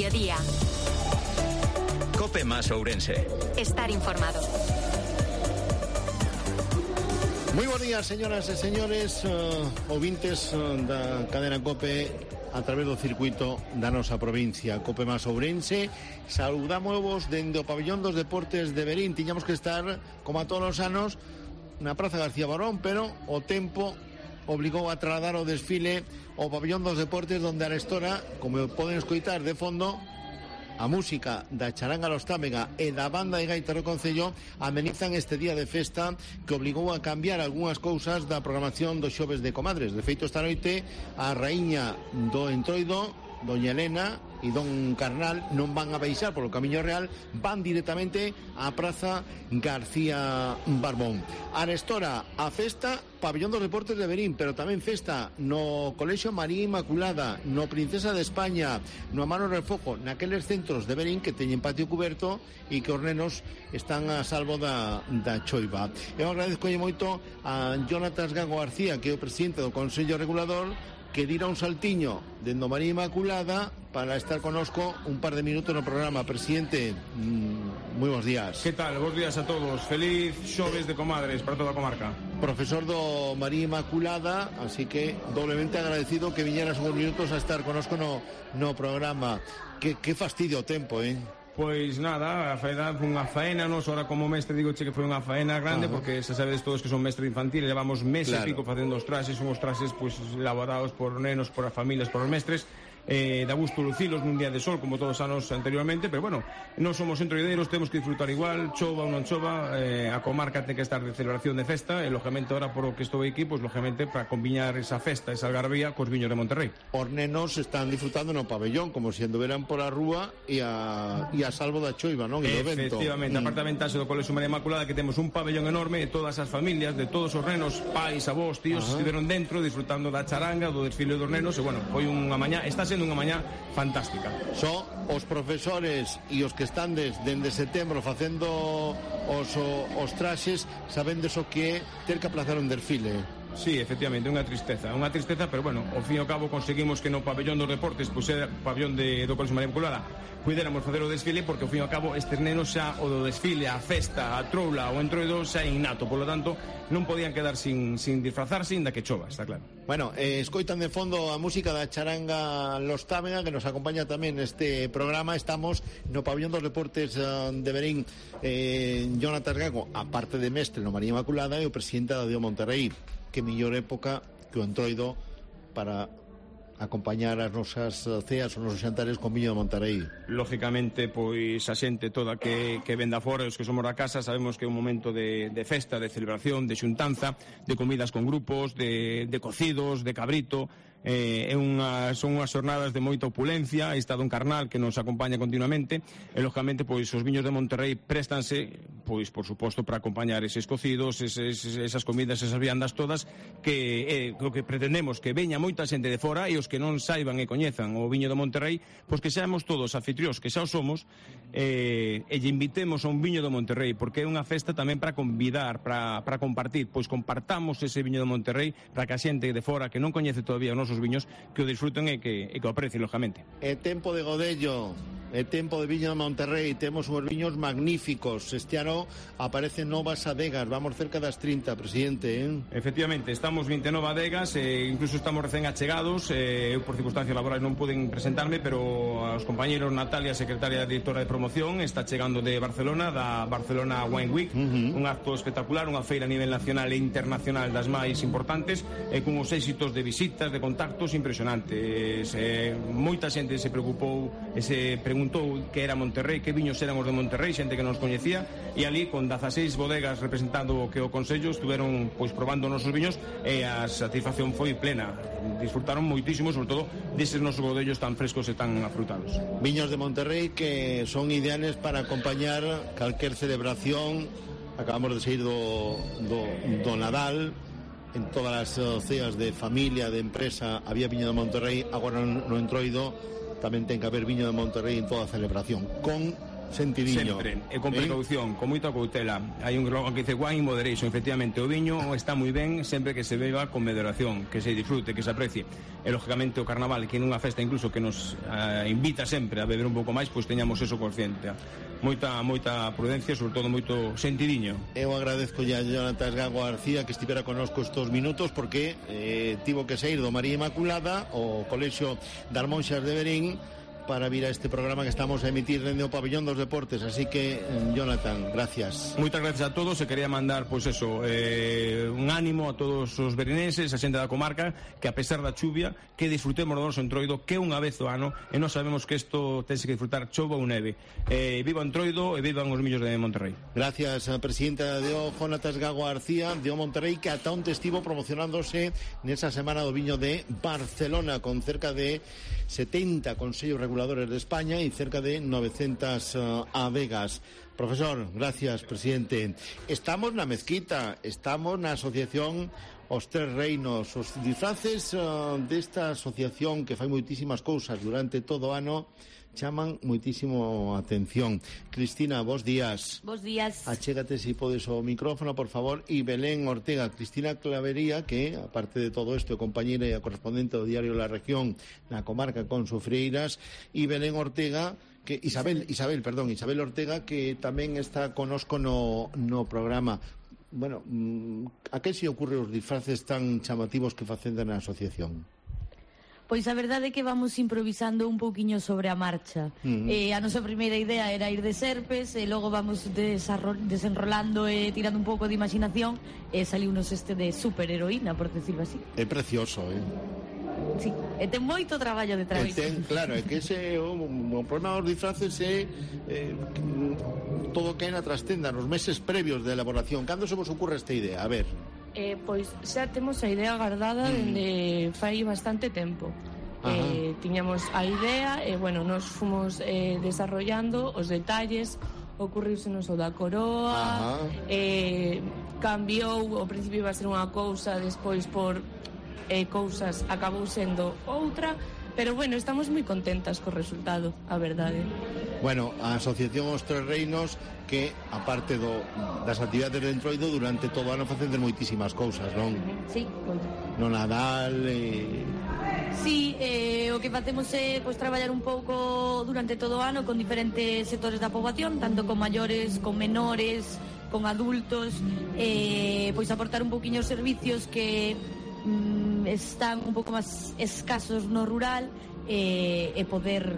mediodía. Cope más Ourense. Estar informado. Moi bons días, señoras e señores, ouvintes da cadena Cope a través do circuito da nosa provincia, Cope más Ourense. Saudámosvos dende o pabellón dos deportes de Verín. Tiñamos que estar, como a todos os anos, na Praza García Barón, pero o tempo obligou a trasladar o desfile ao pabellón dos deportes, donde arestora, como poden escoitar de fondo, a música da Charanga Los Támega e da banda de gaita do Concello amenizan este día de festa que obligou a cambiar algunhas cousas da programación dos xoves de Comadres. De feito, esta noite a raíña do Entroido, doña Elena e don Carnal, non van a baixar polo Camiño Real, van directamente á Praza García Barbón. Arestora a festa pabellón dos deportes de Verín, pero tamén festa no Colexio María Inmaculada, no Princesa de España, no Amaro Refojo, naqueles centros de Verín que teñen patio cuberto e que os nenos están a salvo da choiva. Eu agradezco moito a Jonatas Gago García, que é o presidente do Consello Regulador, que dira un saltiño dendo María Inmaculada para estar conosco un par de minutos no programa. Presidente, moi bons días. Que tal? Bons días a todos. Feliz xoves de Comadres para toda a comarca. Profesor do María Inmaculada, así que doblemente agradecido que viñeras uns minutos a estar conosco no programa. Que fastidio o tempo, Pois nada, a faena foi unha faena, nos ahora como mestre digo que foi unha faena grande, porque xa sabedes todos que son mestre infantil, levamos meses e pico facendo os traxes, son os traxes pois elaborados por nenos, por as familias, por os mestres. Da gusto lucilos nun día de sol como todos os anos anteriormente, pero bueno, non somos entroideiros, temos que disfrutar igual, chova ou non chova, a comarca ten que estar de celebración de festa e lógicamente ahora por o que estou aquí, pois lógicamente para combiñar esa festa, esa algarabía cos viños de Monterrey. Os nenos están disfrutando no pabellón como se andoveran pola rúa e a salvo da choiva, non? Efectivamente, a parte da ventaxe do Colexio María Inmaculada que temos un pabellón enorme e todas as familias de todos os nenos, pais, avós, tíos, estiveron dentro disfrutando da charanga, do desfile dos nenos e bueno, foi unha mañá, está sendo unha mañá fantástica. Son os profesores e os que están dende setembro facendo os traxes, sabendes o que é ter que aplazar un desfile. Sí, efectivamente, unha tristeza, pero bueno, ao fin e ao cabo conseguimos que no pabellón dos deportes, pois era o pabellón do Colexio María Inmaculada, puidéramos facer o desfile, porque ao fin e ao cabo estes nenos xa o do desfile, a festa, a troula, o entroido xa é innato, polo tanto non podían quedar sin disfrazarse inda que chova, está claro. Bueno, escoitan de fondo a música da Charanga Los Támega, que nos acompaña tamén neste programa. Estamos no pabellón dos deportes de Verín. Jonatas Gago, a parte de mestre no María Inmaculada, e o presidente da Dio Monterrey. Que mellor época que o entroido para acompañar as nosas ceas, os nosos xantares con viño de Monterrey. Lógicamente, pois a xente toda que venda fora, os que somos da casa, sabemos que é un momento de festa, de celebración, de xuntanza, de comidas con grupos, de cocidos, de cabrito. Son unhas xornadas de moita opulencia. Está don Carnal que nos acompaña continuamente e lógicamente pois os viños de Monterrey préstanse pois por suposto para acompañar eses cocidos, esas comidas, esas viandas todas que o que pretendemos que veña moita xente de fora e os que non saiban e coñezan o viño de Monterrey, pois que seamos todos anfitrións, que xa o somos, e lle invitemos a un viño de Monterrey, porque é unha festa tamén para convidar, para compartir, pois compartamos ese viño de Monterrey para que a xente de fora que non coñece todavía o noso os viños que o disfruten e que o aprecien, lógicamente. É tempo de godello, é tempo de viño de Monterrey, temos uns viños magníficos. Este ano aparecen novas adegas, vamos cerca das 30, presidente, Efectivamente, estamos 29 adegas, incluso estamos recén achegados, eu por circunstancias laborais non poden presentarme, pero aos compañeros Natalia, secretaria directora de promoción, está chegando de Barcelona, da Barcelona Wine Week, un acto espectacular, unha feira a nivel nacional e internacional das máis importantes, con os éxitos de visitas, de contactos impresionantes. Moita xente se preocupou e se preguntou que era Monterrey, que viños eran os de Monterrey, xente que nos coñecía, e ali con 16 bodegas representando o que o Consello estuveron pois probando os nosos viños e a satisfacción foi plena. Disfrutaron moitísimo, sobre todo deses nosos bodellos tan frescos e tan afrutados. Viños de Monterrey que son ideales para acompañar calquer celebración. Acabamos de sair do Nadal. En todas as ceas de familia, de empresa, había viño de Monterrey. Agora no entroido tamén ten que haber viño de Monterrey en toda a celebración, con sentidiño. Sempre, e con precaución, con moita cautela. Hai un slogan que dice wine in moderation. Efectivamente, o viño está moi ben sempre que se beba con moderación, que se disfrute, que se aprecie. E lógicamente o carnaval, que nunha festa incluso que nos invita sempre a beber un pouco máis, pois teñamos eso consciente. Moita prudencia, sobre todo moito sentidiño. Eu agradezco a Jonathan Gago García que estivera connosco estos minutos, porque tivo que sair do María Inmaculada o Colexio das Monxas de Verín para vir a este programa que estamos a emitir dende o Pabellón dos Deportes. Así que, Jonathan, gracias. Moitas gracias a todos. E quería mandar, pois eso, un ánimo a todos os verinenses, a xente da comarca, que a pesar da chuvia, que disfrutemos do noso Entroido, que unha vez ao ano, e nós sabemos que isto tense que disfrutar chova ou neve. Viva o Entroido e vivan os millos de Monterrey. Gracias, presidenta de O, Jonatas Gago García, de O Monterrey, que ata onte estivo promocionándose nesa semana do viño de Barcelona, con cerca de 70 consellos reguladores de España y cerca de 900 adegas. Profesor, gracias, presidente. Estamos na mezquita, estamos na asociación Os Tres Reinos. Os disfraces desta asociación, que fai moitísimas cousas durante todo o ano, chaman moitísimo a atención. Cristina, bos días. Bos días. Achégate, se podes, o micrófono, por favor. E Belén Ortega. Cristina Clavería, que, aparte de todo isto, é compañeira e a correspondente do diario La Región na comarca con Sofreiras. E Belén Ortega, que Isabel Ortega, que tamén está conosco no programa. Bueno, a que se ocurre os disfraces tan chamativos que facenda na asociación? Pois a verdade é que vamos improvisando un pouquiño sobre a marcha. A nosa primeira idea era ir de serpes, e logo vamos desenrolando e tirando un pouco de imaginación, e saliunos este de superheroína, por decirlo así. É precioso, Sí, e ten moito traballo detrás. Claro, é que ese o problema dos disfraces é todo que hai na trastenda, nos meses previos de elaboración. Cando se vos ocurre esta idea? A ver. Pois xa temos a idea guardada dende fai bastante tempo. Tiñamos a idea e, bueno, nos fomos desarrollando os detalles, ocurriusenos o da coroa, cambiou, ao principio iba a ser unha cousa, despois por cousas acabou sendo outra, pero, bueno, estamos moi contentas co resultado, a verdade. Bueno, a Asociación Os Tres Reinos, que, aparte das actividades de Entroido, durante todo o ano facen moitísimas cousas, non? Sí, no Nadal. Sí, o que facemos é traballar un pouco durante todo o ano con diferentes sectores da poboación, tanto con maiores, con menores, con adultos, pois aportar un pouquiño os servicios que están un pouco máis escasos no rural, e poder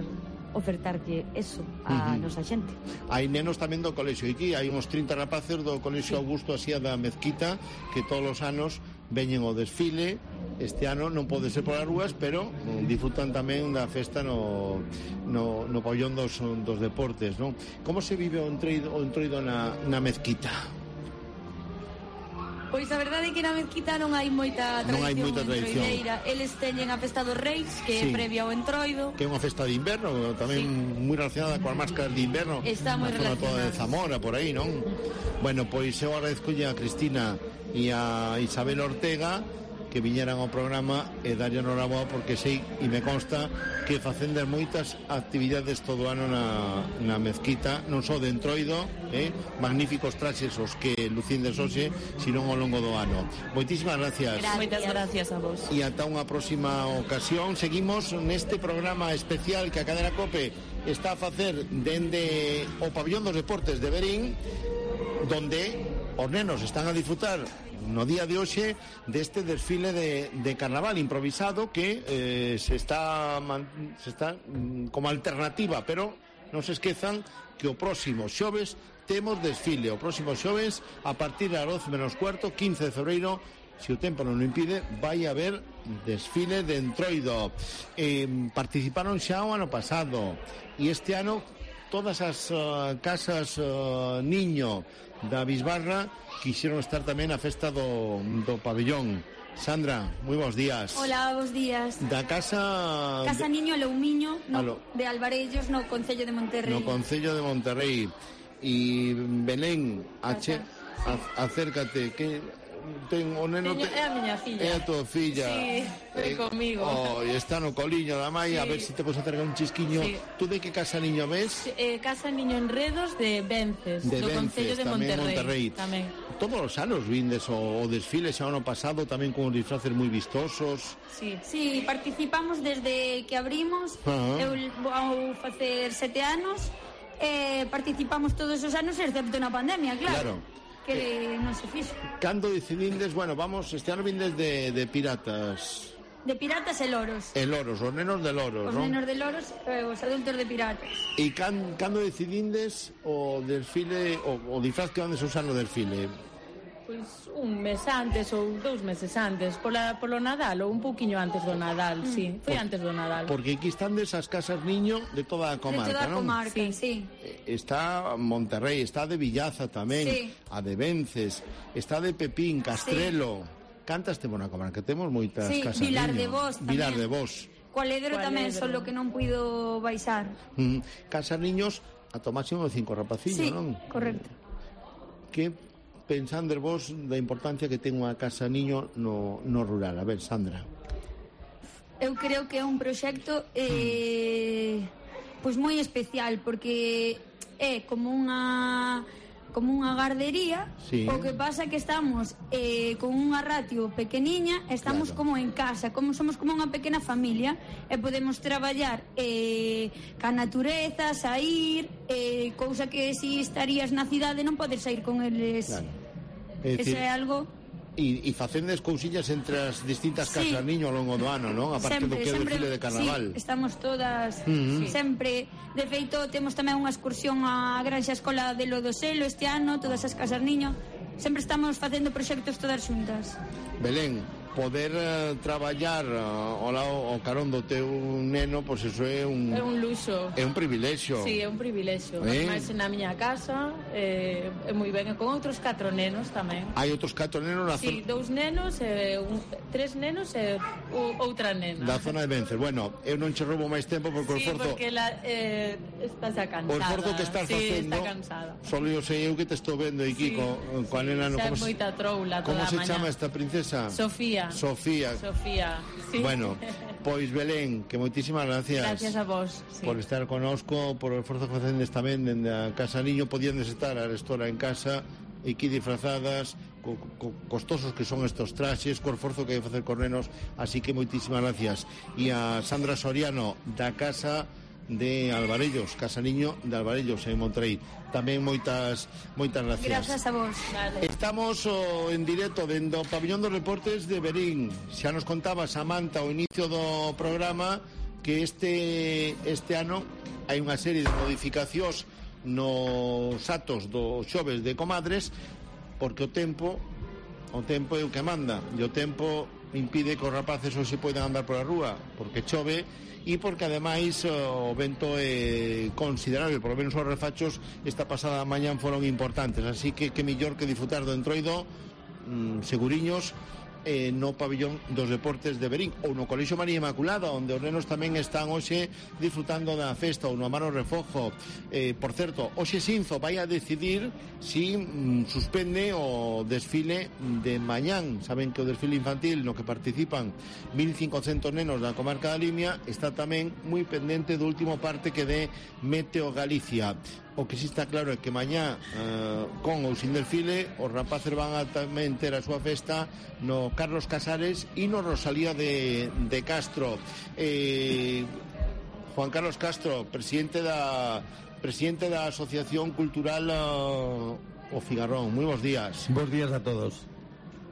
ofertarlle eso a nosa xente. Hai nenos tamén do colexio. Aquí hai uns 30 rapaces do colexio Augusto Asía da Mezquita, que todos os anos veñen ao desfile. Este ano non pode ser polas rúas, pero disfrutan tamén da festa no pabellón dos deportes, non? Como se vive o entroido na Mezquita? Pois a verdade é que na Mezquita non hai moita tradición entroideira. Eles teñen a festa dos Reis, que é previa ao entroido, que é unha festa de inverno, tamén moi relacionada coas máscaras de inverno. Está moi relacionada. Toda de Zamora, por aí, non? Bueno, pois eu agradezco a Cristina e a Isabel Ortega que viñeran ao programa e darlle enhoraboa, porque sei e me consta que facenden moitas actividades todo o ano na Mezquita, non só de entroido, magníficos traxes os que lucindes hoxe, sino ao longo do ano. Moitísimas gracias. Moitas gracias a vos. E ata unha próxima ocasión. Seguimos neste programa especial que a Cadena COPE está a facer dende o Pabellón dos Deportes de Verín, donde os nenos están a disfrutar no día de hoxe deste desfile de carnaval improvisado que se está como alternativa, pero non se esquezan que o próximo xoves temos desfile, o próximo xoves a partir das 12:15, 15 de febreiro, se o tempo non o impide, vai haber desfile de entroido. Participaron xa o ano pasado, e este ano todas as casas niño da Bisbarra quixeron estar tamén a festa do pabellón. Sandra, moi bons días. Hola, bons días. Da Casa Niño Loumiño, de Alvarellos, no Concello de Monterrey. No Concello de Monterrey. E Belén, acércate, que o neno É a miña filla. É a tua filla. Sí, foi comigo. Está no coliño da mai, a ver se te podes acercar un chisquiño. Tú de que casa niño ves? Casa Niño Enredos de Vences, De do Vences, Concello de tamén Monterrey. Tamén. Todos os anos vindes o desfile xa ano pasado tamén con os disfraces moi vistosos. Sí, participamos desde que abrimos. Eu vou facer 7 anos. Participamos todos os anos excepto na pandemia, claro. Que non se fixo. Cando decidides, bueno, vamos, este ano vindes de piratas. De piratas e loros. E loros, os nenos de loros, Os non? nenos de loros e os adultos de piratas. E cando decidindes o desfile, o disfraz que andes usar no desfile? Pois un mes antes ou 2 meses antes, polo Nadal ou un pouquiño antes do Nadal, sí, foi antes do Nadal. Porque aquí están desas casas niño de toda a comarca, De toda a non? comarca, sí. Está Monterrey, está de Villaza tamén, a de Vences, está de Pepín, Castrelo. Cantas temos na comarca, temos moitas casas Vilar niño. de Vos tamén. Vilar de Vos. Cualedro tamén, solo que non puido baixar. Casas niños ata o máximo de 5 rapacillos, non? Correcto. Que pensando vos da importancia que ten unha casa niño no rural? A ver, Sandra. Eu creo que é un proxecto pois moi especial, porque é como unha gardería. O que pasa que estamos con unha ratio pequeniña, estamos como en casa, somos como unha pequena familia, e podemos traballar ca natureza, sair, cousa que si estarías na cidade non podes sair con eles. Eso é algo... E facendes cousillas entre as distintas casas niño ao longo do ano, non? A parte do que é o desfile de carnaval. Estamos todas sempre. De feito, temos tamén unha excursión á Granxa Escola de Lodoselo este ano, todas as casas niño. Sempre estamos facendo proxectos todas xuntas. Belén, poder traballar ao carón do teu neno, pois eso é un... É un luxo. É un privilexio. Sí, é un privilexio. Ademais, na miña casa, é moi ben. E con outros 4 nenos tamén. Hai outros 4 nenos na zona... Sí, 2 nenos, 3 nenos e outra nena. Da zona de Vences. Bueno, eu non che roubo máis tempo porque o esforzo... Sí, porque está xa cansada. O esforzo que estás facendo... está cansada. Solo eu sei eu que te estou vendo aquí coa nena... Xa é moita troula toda a mañá. Como se chama esta princesa? Sofía. Sofía, sí. Bueno, pois Belén, que moitísimas gracias. Gracias a vos, sí. Por estar conosco, por o esforzo que facendes tamén dende a Casa Niño. Podíandes estar a restora en casa e aquí disfrazadas, costosos que son estos traxes, co esforzo que hai facer con nenos, así que moitísimas gracias. E a Sandra Soriano da Casa de Alvarellos, Casa Niño de Alvarellos en Monterrey. Tamén moitas gracias. Grazas a vos. Vale. Estamos en directo dentro do Pabillón dos Deportes de Verín. Xa nos contaba Samantha ao inicio do programa que este ano hai unha serie de modificacións nos atos dos xoves de comadres, porque o tempo é o que manda, e o tempo impide que os rapaces hoxe poidan andar pola rúa, porque chove e porque ademais o vento é considerable, por lo menos os refachos esta pasada mañán foron importantes, así que mellor que disfrutar do Entroido seguriños no Pabillón dos Deportes de Verín ou no Colexio María Inmaculada, onde os nenos tamén están hoxe disfrutando da festa, ou no Amaro Refojo. Por certo, hoxe Sinzo vai a decidir si suspende o desfile de mañán. Saben que o desfile infantil no que participan 1.500 nenos da comarca da Limia está tamén moi pendente do último parte que de Meteo Galicia. O que sí está claro é que mañá con ou sin desfile os rapaces van a tamén ter a súa festa no Carlos Casares e no Rosalía de Castro. Juan Carlos Castro, presidente da Asociación Cultural O Figarrón. Moi bons días. Bons días a todos.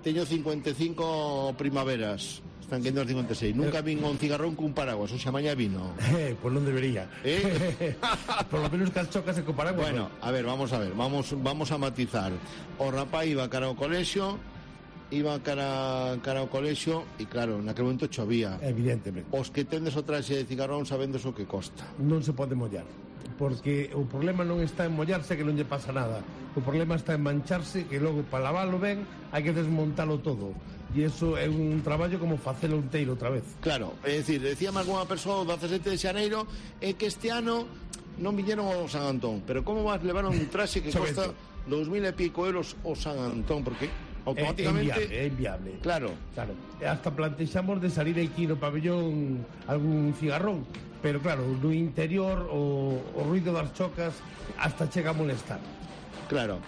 Teño 55 primaveras. Están quendo 56. Nunca vin un cigarrón cun paraguas, o xa mañá vino. Pues non debería. Por lo menos que as chocas e con paraguas. Bueno, a ver, vamos a matizar. O rapaz iba cara ao colexio, e claro, naquele momento chovía. Evidentemente. Os que tendes o traxe de cigarrón sabendes o que costa. Non se pode mollar, porque o problema non está en mollarse, que non lle pasa nada. O problema está en mancharse, que logo para lavalo ben hai que desmontalo todo. E iso é un traballo como facelo inteiro outra vez. Claro, é dicir, decía máis unha persoa o 17 de xaneiro é que este ano non viñeron ao San Antón, pero como vas levar un traxe que costa 2.000 e pico euros o San Antón, porque automáticamente é inviable. Claro. Hasta plantexamos de salir aquí no pabellón algún cigarrón, pero claro, no interior o ruido das chocas hasta chega a molestar. Claro.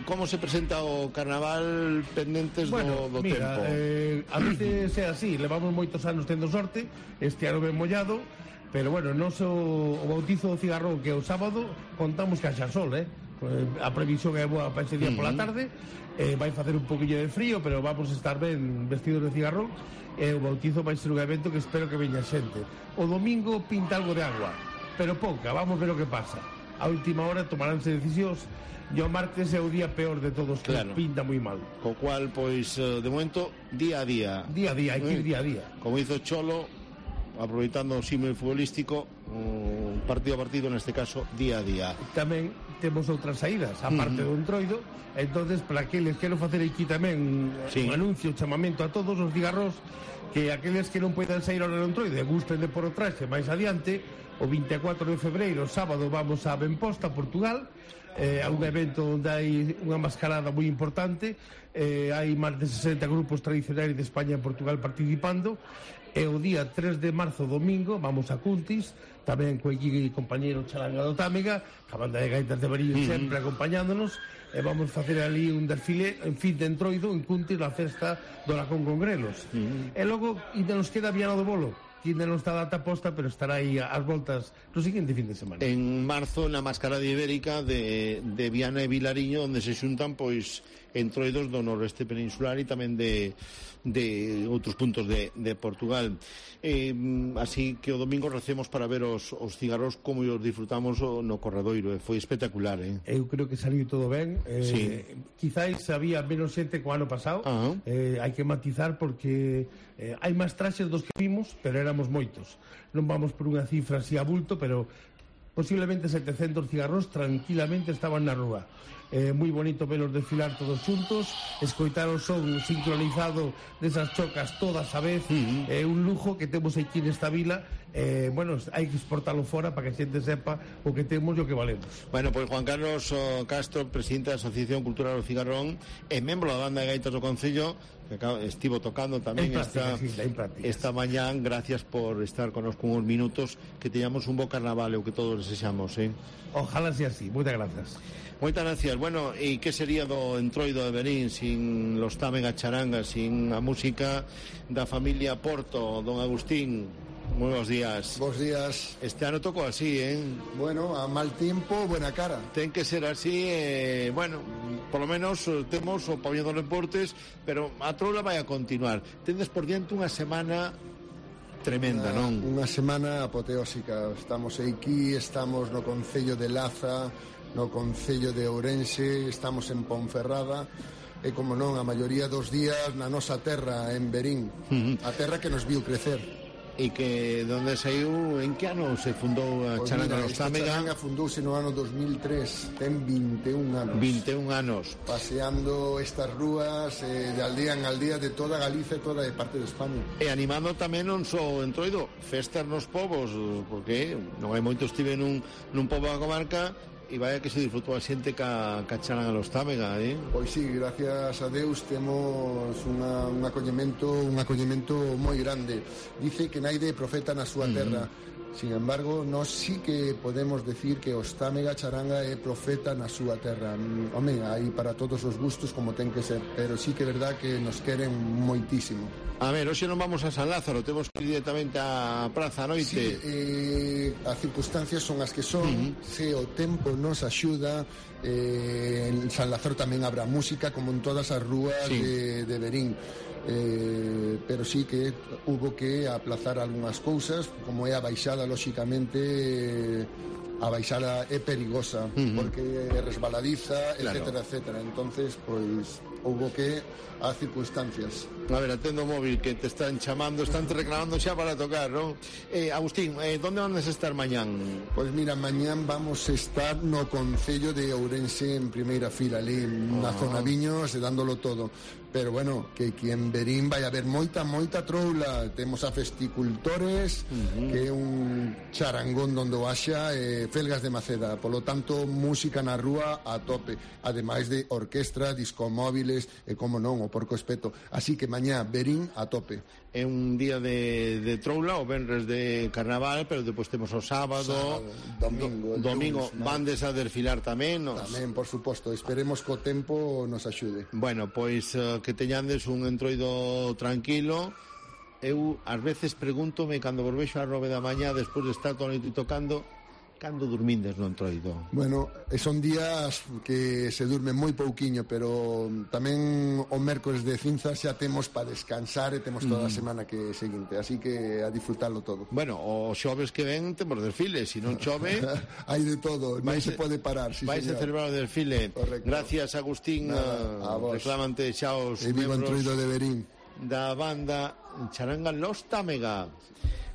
Como se presenta o carnaval pendentes do mira, tempo? A veces é así, levamos moitos anos tendo sorte, este ano ben mollado, pero bueno, o bautizo do cigarrón que é o sábado, contamos que haxa sol, a previsión é boa para ese día pola tarde, vai facer un poquillo de frío, pero vamos a estar ben vestidos de cigarrón, e o bautizo vai ser un evento que espero que veña xente. O domingo pinta algo de agua, pero pouca, vamos ver o que pasa. A última hora tomaránse decisións, e o martes é o día peor de todos, que pinta moi mal. Co cual, pois, de momento, día a día. Día a día, hai que ir día a día. Como hizo Cholo, aproveitando o símil futbolístico, partido a partido, neste caso, día a día. Tamén temos outras saídas, a parte do Entroido, entonces para aqueles quero facer aquí tamén un anuncio, chamamento a todos os cigarros, que aqueles que non poidan sair ao Entroido e gusten de por o traxe máis adiante, o 24 de febreiro, sábado, vamos a Benposta, Portugal, a un evento onde hai unha mascarada moi importante, hai máis de 60 grupos tradicionais de España e Portugal participando, e o día 3 de marzo, domingo, vamos a Cuntis, tamén co compañeiro Charanga do Támega, a banda de gaitas de Barillo sempre acompañándonos, e vamos facer ali un desfile en fin de Entroido en Cuntis, na festa do Lacón con Grelos. E logo ainda nos queda Viana do Bolo, que ainda non está a data posta, pero estará aí ás voltas no seguinte fin de semana. En marzo, na Mascarada Ibérica de Viana e Vilariño, onde se xuntan, pois, Entroidos do noroeste peninsular e tamén de outros puntos de Portugal. Así que o domingo recemos para ver os cigarros como os disfrutamos no Corradoiro. Foi espectacular. Eu creo que saliu todo ben. Quizáis había menos xente que o ano pasado. Hai que matizar porque hai máis traxes dos que vimos, pero éramos moitos. Non vamos por unha cifra así a bulto, pero posiblemente 700 cigarros tranquilamente estaban na rúa. Moi bonito velos desfilar todos xuntos, escoitar o son sincronizado desas chocas todas a vez, é un lujo que temos aquí nesta vila. Bueno, hai que exportalo fora para que a xente sepa o que temos e o que valemos. Bueno, pois Juan Carlos Castro, presidente da Asociación Cultural do Cigarrón e membro da banda de gaitas do Concello, que estivo tocando tamén esta mañán. Gracias por estar connosco uns minutos, que teñamos un bo carnaval, o que todos desexamos. Ojalá sea así, moitas grazas. Moitas gracias. Bueno, e que sería do Entroido de Verín sin los Támega Charanga, sin a música da familia Porto? Don Agustín, moi bons días. Bos días. Este ano tocou así, Bueno, a mal tiempo, buena cara. Ten que ser así, bueno, por lo menos temos o pabellón dos deportes, pero a troula vai a continuar. Tendes por diante unha semana tremenda, non? Unha semana apoteósica. Estamos aquí, estamos no Concello de Laza, no Concello de Ourense, estamos en Ponferrada, e como non, a maioría dos días na nosa terra, en Verín, a terra que nos viu crecer. E que donde saiu, en que ano se fundou a Charanga dos Támega? Charanga fundouse no ano 2003, ten 21 anos. 21 anos. Paseando estas rúas de aldea en aldea de toda Galicia e toda de parte de España. E animando tamén non só Entroido, festas nos povos, porque non hai moito estive nun pobo da comarca, e vaya que se disfrutou a xente ca Charanga dos Támega, Pois sí, gracias a Deus temos un acollemento moi grande. Dice que naide profeta na súa terra. Sin embargo, nós sí que podemos decir que os Támega Charanga é profeta na súa terra. Home, hai para todos os gustos como ten que ser, pero sí que é verdad que nos queren moitísimo. A ver, hoxe non vamos a San Lázaro, temos que ir directamente á praza a noite. Sí, as circunstancias son as que son, se o tempo nos axuda, en San Lázaro tamén habrá música como en todas as rúas de Verín. Pero sí que hubo que aplazar algunhas cousas, como é a baixada, lóxicamente a baixada é perigosa, porque é resbaladiza, etcétera, etcétera. Entonces, pois, houbo que as circunstancias. A ver, atendo o móvil que te están chamando, están te reclamando xa para tocar, non? Agustín, ¿dónde van a estar mañán? Pois mira, mañán vamos a estar no Concello de Ourense en primeira fila, ali na zona Viños, e dándolo todo. Pero bueno, que aquí en Verín vai haber moita troula. Temos a Festicultores, que é un charangón donde o haxa, Felgas de Maceda. Por lo tanto, música na rúa a tope. Ademais de orquestra, discomóviles, desfiles e, como non, o porco espeto. Así que mañá Verín a tope. É un día de troula, o venres de carnaval, pero depois temos o sábado, domingo vandes a desfilar tamén. Tamén, por suposto, esperemos que o tempo nos axude. Bueno, pois que teñandes un entroido tranquilo. Eu ás veces pregúntome, cando vos vexo a 9 da mañá, despois de estar todo o noite tocando, cando dormindes no entroido? Bueno, son días que se durme moi pouquiño, pero tamén o mércores de cinzas xa temos para descansar e temos toda a semana que seguinte, así que a disfrutarlo todo. Bueno, o xoves que ven temos desfile, se non chove hai de todo, non se pode parar. Sí, vais a celebrar o desfile. Correcto. Gracias, Agustín. Reclamante xa os vivo entroido de Verín da banda Charanga Los Támega.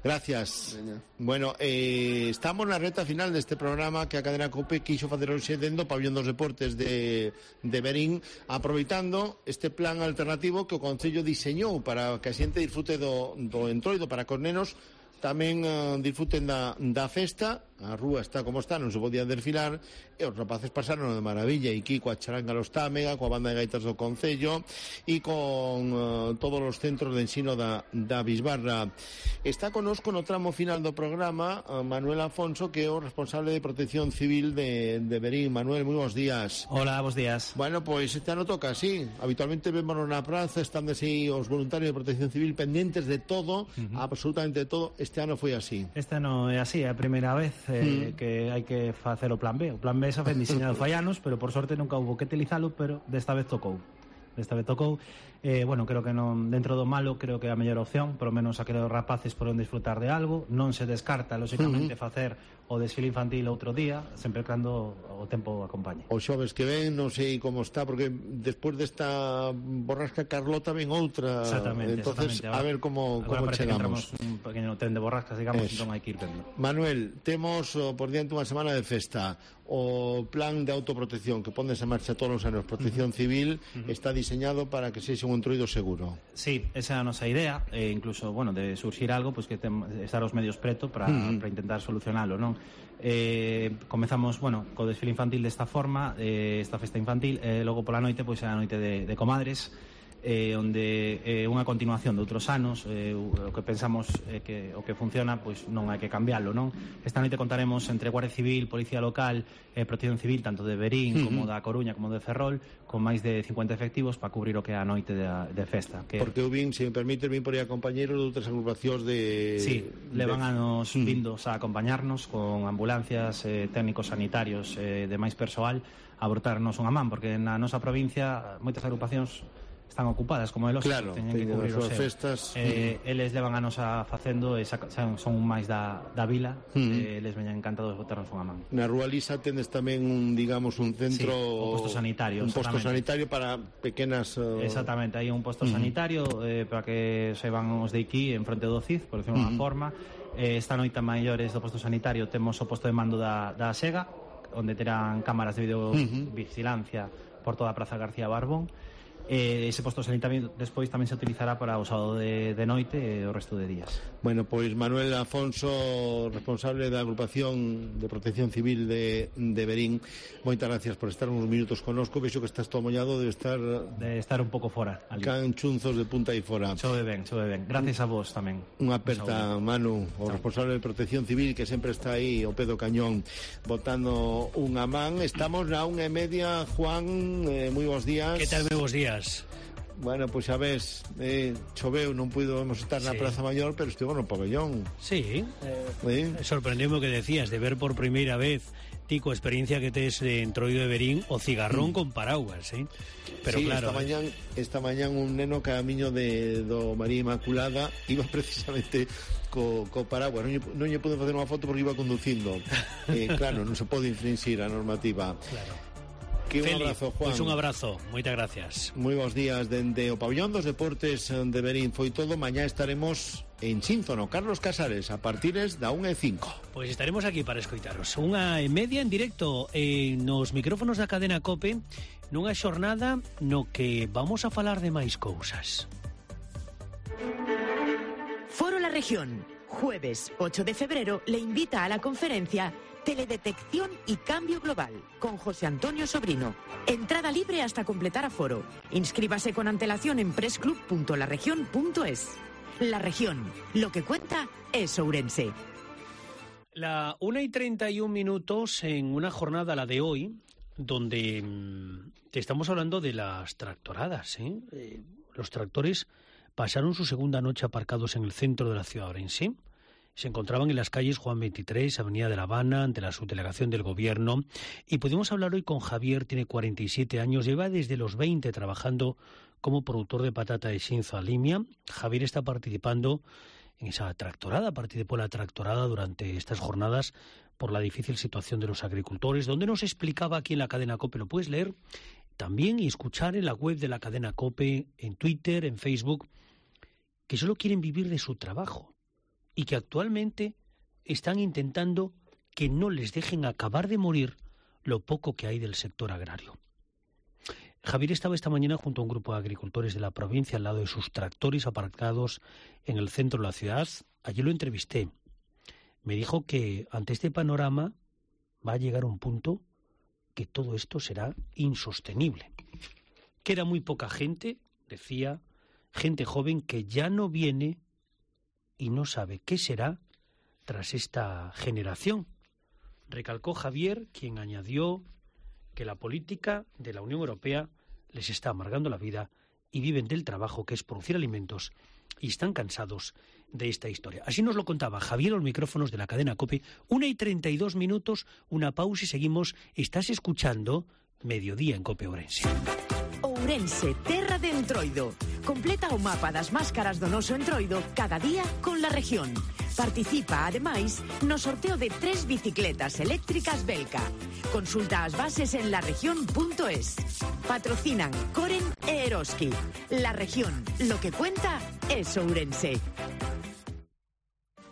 Gracias. Bueno, estamos na reta final deste programa que a Cadena COPE quixo facer hoxe dentro do Pabellón dos Deportes de Verín, aproveitando este plan alternativo que o Concello diseñou para que a xente disfrute do entroido, para que os nenos tamén disfruten da festa. A rúa está como está, non se podía desfilar, e os rapaces pasaron de maravilla, e aquí coa Charanga Los Támega, coa banda de gaitas do Concello e con todos os centros de ensino da Bisbarra. Está conosco no tramo final do programa Manuel Afonso, que é o responsable de Protección Civil de Verín. Manuel, moi bons días. Hola, bons días. Bueno, pois este ano toca así. Habitualmente vémonos na praza, están así os voluntarios de Protección Civil pendentes de todo, absolutamente de todo. Este ano foi así. Este ano é así, é a primeira vez que hai que facer o plan B. O plan B xa fen diseñado fai anos, pero por sorte nunca houbo que utilizalo, pero desta vez tocou. Bueno, creo que non, dentro do malo, creo que é a mellor opción, por lo menos aqueles rapaces poden disfrutar de algo. Non se descarta, lóxicamente, facer o desfile infantil outro día, sempre cando o tempo acompañe. Os xoves que ven, non sei como está, porque despois desta borrasca Carlota ven outra. Exactamente. Entonces, Ahora, a ver como chegamos. Un pequeno tren de borrascas, digamos, entón hai que ir vendo. Manuel, temos por diante unha semana de festa. O plan de autoprotección que pones en marcha todos os anos, Protección Civil, está diseñado para que sexa un entroido seguro. Sí, esa é a nosa idea, incluso, bueno, de surxir algo, pues que estar os medios preto para intentar solucionalo, non? Comezamos, bueno, co desfile infantil desta forma, esta festa infantil, logo pola noite, pois é a noite de comadres, onde unha continuación de outros anos, o que pensamos que o que funciona, pois non hai que cambialo, non? Esta noite contaremos entre Guardia Civil, Policía Local e Protección Civil, tanto de Verín como da Coruña como de Ferrol, con máis de 50 efectivos para cubrir o que é a noite de festa. Porque eu vin, se me permite, vin por aí a compañeros de outras agrupacións de... Sí, levan anos vindos a acompañarnos con ambulancias, técnicos sanitarios, de máis persoal, a botarnos unha man, porque na nosa provincia moitas agrupacións están ocupadas, como é lógico, claro, teñen que cubrir os festas. Eles levan a nosa facendo, son máis da vila, eles veñan encantados de botarnos unha man. Na Rúa Lisa tendes tamén, digamos, un centro... Sí, un posto sanitario. Un posto sanitario para pequenas... Exactamente, hai un posto sanitario para que se van os de aquí en fronte do CID, por decirlo unha forma. Esta noite a maiores do posto sanitario temos o posto de mando da SEGA, onde terán cámaras de videovigilancia por toda a Praza García Barbón. Ese posto sanitario despois tamén se utilizará para o sábado de noite e o resto de días. Bueno, pois Manuel Afonso, responsable da agrupación de Protección Civil de Verín, moitas gracias por estar uns minutos connosco. Vexo que estás todo mollado, de estar un pouco fora ali. Canchunzos de punta e fora. Chove ben. Gracias a vos tamén. Unha aperta, Manu, o responsable de Protección Civil, que sempre está aí ao pé do cañón botando unha man. Estamos na 1:30, Juan, moi bons días. Que tal, moi bons días. Bueno, pois xa ves, choveu, non pudemos estar na Praza Maior, pero estivo no pabellón. Sí, sorprendeu-me o que decías, de ver por primeira vez ti coa experiencia que tes de entroido de Verín o cigarrón con paraguas, Pero sí, claro, esta mañán un neno camiño do María Inmaculada iba precisamente co paraguas, non lle pude facer unha foto porque iba conducindo. Claro, non se pode infringir a normativa. Claro. Un abrazo, Juan. Pois un abrazo, moitas gracias. Moi bons días dende o Pabellón dos Deportes de Verín. Foi todo, mañá estaremos en Cínzono, Carlos Casares, a partires da 1:05. Pois estaremos aquí para escoitaros 1:30 en directo nos micrófonos da Cadena COPE, nunha xornada no que vamos a falar de máis cousas. Foro La Región, Jueves 8 de febrero le invita a la conferencia Teledetección y Cambio Global con José Antonio Sobrino. Entrada libre hasta completar aforo. Inscríbase con antelación en pressclub.laregion.es. La Región, lo que cuenta es Ourense. La 1:31 en una jornada, la de hoy, donde te estamos hablando de las tractoradas. Los tractores pasaron su segunda noche aparcados en el centro de la ciudad de Ourense. Se encontraban en las calles Juan 23, Avenida de La Habana, ante la subdelegación del Gobierno. Y pudimos hablar hoy con Javier, tiene 47 años, lleva desde los 20 trabajando como productor de patata de Xinzo a Limia. Javier está participando en esa tractorada, participó en la tractorada durante estas jornadas por la difícil situación de los agricultores, donde nos explicaba aquí en la cadena COPE. Lo puedes leer también y escuchar en la web de la cadena COPE, en Twitter, en Facebook, que solo quieren vivir de su trabajo y que actualmente están intentando que no les dejen acabar de morir lo poco que hay del sector agrario. Javier estaba esta mañana junto a un grupo de agricultores de la provincia al lado de sus tractores aparcados en el centro de la ciudad. Allí lo entrevisté. Me dijo que ante este panorama va a llegar un punto que todo esto será insostenible. Queda muy poca gente, decía, gente joven que ya no viene y no sabe qué será tras esta generación. Recalcó Javier, quien añadió que la política de la Unión Europea les está amargando la vida y viven del trabajo que es producir alimentos y están cansados de esta historia. Así nos lo contaba Javier a los micrófonos de la cadena COPE. 1:32, una pausa y seguimos. Estás escuchando Mediodía en COPE Ourense. Ourense, terra de Entroido. Completa o mapa das máscaras do noso Entroido cada día con La Región. Participa, ademais, no sorteo de 3 bicicletas eléctricas Belka. Consulta as bases en laregion.es. Patrocinan Coren e Eroski. La Región, lo que cuenta es Ourense.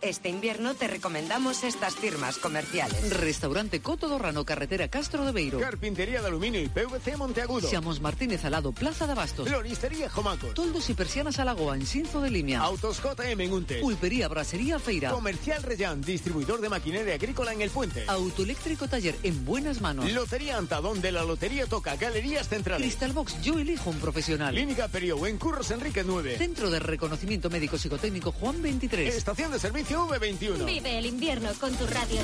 Este invierno te recomendamos estas firmas comerciales. Restaurante Coto do Rano, carretera Castro de Beiro. Carpintería de aluminio y PVC Monteagudo. Xamos Martínez Alado, Plaza de Abastos. Floristería Jomaco. Toldos y persianas Alagoa, en Xinzo de Limia. Autos JM en Untes. Pulpería Brasería Feira. Comercial Reyán, distribuidor de maquinaria agrícola en El Puente. Autoeléctrico Taller, en buenas manos. Lotería Anta, donde la lotería toca. Galerías Centrales. Crystal Box, yo elijo un profesional. Clínica Perio, en Curros Enrique 9. Centro de Reconocimiento Médico Psicotécnico Juan 23. Estación de servicio V21. Vive el invierno con tu radio.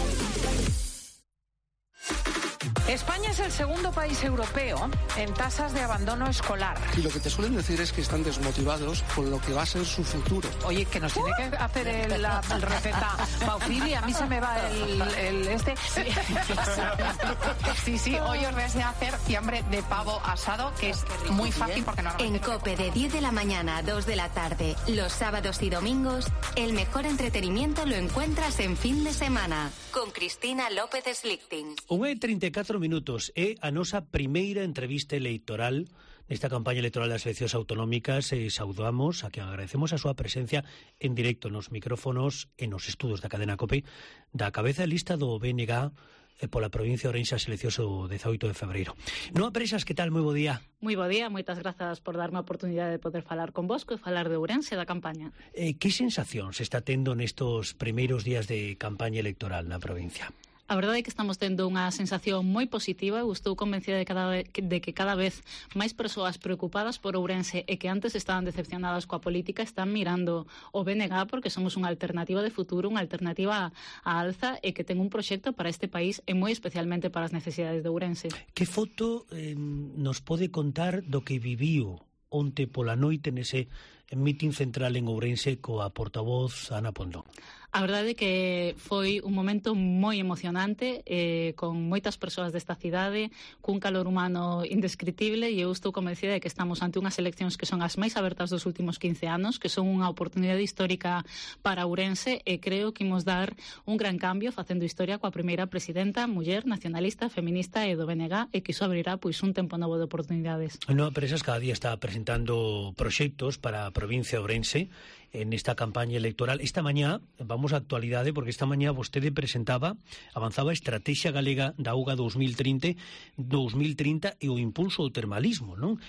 España es el segundo país europeo en tasas de abandono escolar. Y lo que te suelen decir es que están desmotivados con lo que va a ser su futuro. Oye, que nos tiene que hacer el receta Paufili, a mí se me va el este. Sí, hoy os deseo hacer fiambre de pavo asado, que es muy fácil porque normalmente... En COPE de 10 de la mañana a 2 de la tarde, los sábados y domingos, el mejor entretenimiento lo encuentras en fin de semana, con Cristina López Slichting. 1:34 é a nosa primeira entrevista electoral nesta campaña electoral das eleccións autonómicas. Saudamos a que agradecemos a súa presencia en directo nos micrófonos e nos estudos da cadena COPE da cabeza de lista do BNG pola provincia de Ourense as eleccións do 18 de febreiro. Noa Presas, que tal? Moi bo día. Moi bo día, moitas grazas por darme a oportunidade de poder falar convosco e falar de Ourense da campaña. Que sensación se está tendo nestos primeiros días de campaña electoral na provincia? A verdade é que estamos tendo unha sensación moi positiva. Estou convencida de que cada vez máis persoas preocupadas por Ourense e que antes estaban decepcionadas coa política están mirando o BNG porque somos unha alternativa de futuro, unha alternativa á alza e que ten un proxecto para este país e moi especialmente para as necesidades de Ourense. Que foto nos pode contar do que viviu onte pola noite nese mitin central en Ourense coa portavoz Ana Pondón? A verdade é que foi un momento moi emocionante, con moitas persoas desta cidade, cun calor humano indescritible, e eu estou convencida de que estamos ante unhas eleccións que son as máis abertas dos últimos 15 anos, que son unha oportunidade histórica para Ourense, e creo que imos dar un gran cambio facendo historia coa primeira presidenta muller nacionalista, feminista e do BNG, e que iso abrirá pois un tempo novo de oportunidades. Noa Presas cada día está presentando proxectos para a provincia de Ourense en esta campaña electoral. Esta mañá, vamos á actualidade, porque esta mañá vostede avanzaba a Estrategia Galega da Auga 2030 e o impulso do termalismo, non?